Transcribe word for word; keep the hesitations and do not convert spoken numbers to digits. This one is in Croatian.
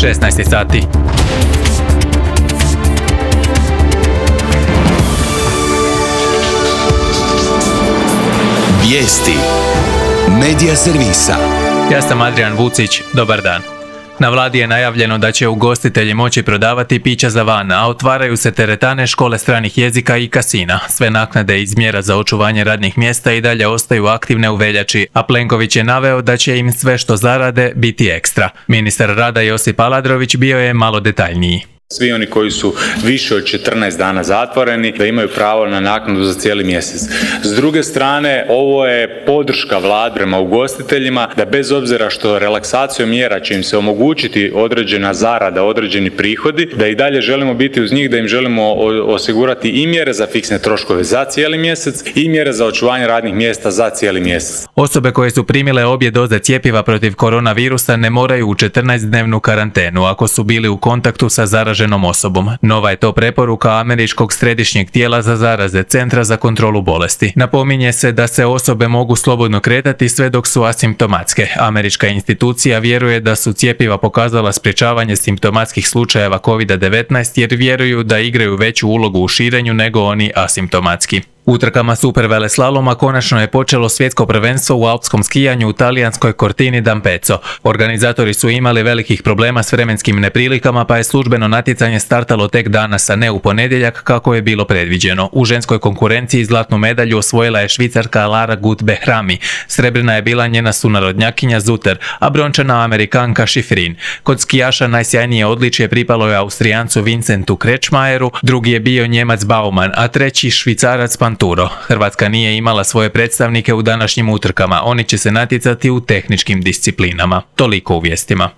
šesnaest sati. Vijesti Medija servisa. Ja sam Adrian Vucić, dobar dan. Na vladi je najavljeno da će ugostitelji moći prodavati pića za van, a otvaraju se teretane, škole stranih jezika i kasina. Sve naknade iz mjera za očuvanje radnih mjesta i dalje ostaju aktivne u veljači, a Plenković je naveo da će im sve što zarade biti ekstra. Ministar rada Josip Aladrović bio je malo detaljniji. Svi oni koji su više od četrnaest dana zatvoreni, da imaju pravo na naknadu za cijeli mjesec. S druge strane, ovo je podrška vlade prema ugostiteljima da bez obzira što relaksacijom mjera će im se omogućiti određena zarada, određeni prihodi, da i dalje želimo biti uz njih, da im želimo osigurati i mjere za fiksne troškove za cijeli mjesec i mjere za očuvanje radnih mjesta za cijeli mjesec. Osobe koje su primile obje doze cjepiva protiv koronavirusa ne moraju u četrnaestdnevnu karantenu ako su bili u kontaktu sa zaraženim osobom. Nova je to preporuka Američkog središnjeg tijela za zaraze, Centra za kontrolu bolesti. Napominje se da se osobe mogu slobodno kretati sve dok su asimptomatske. Američka institucija vjeruje da su cjepiva pokazala sprječavanje simptomatskih slučajeva kovid devetnaest jer vjeruju da igraju veću ulogu u širenju nego oni asimptomatski. Utrkama superveleslaloma konačno je počelo svjetsko prvenstvo u alpskom skijanju u talijanskoj Cortini d'Ampezzo. Organizatori su imali velikih problema s vremenskim neprilikama, pa je službeno natjecanje startalo tek danas, a ne u ponedjeljak kako je bilo predviđeno. U ženskoj konkurenciji zlatnu medalju osvojila je Švicarka Lara Gut-Behrami. Srebrna je bila njena sunarodnjakinja Zutter, a brončana Amerikanka Schifrin. Kod skijaša najsjajnije odličje pripalo je Austrijancu Vincentu Kretschmajeru, drugi je bio Njemac Baumann, a treći Švicarac Panturo. Hrvatska nije imala svoje predstavnike u današnjim utrkama, oni će se natjecati u tehničkim disciplinama. Toliko u vijestima.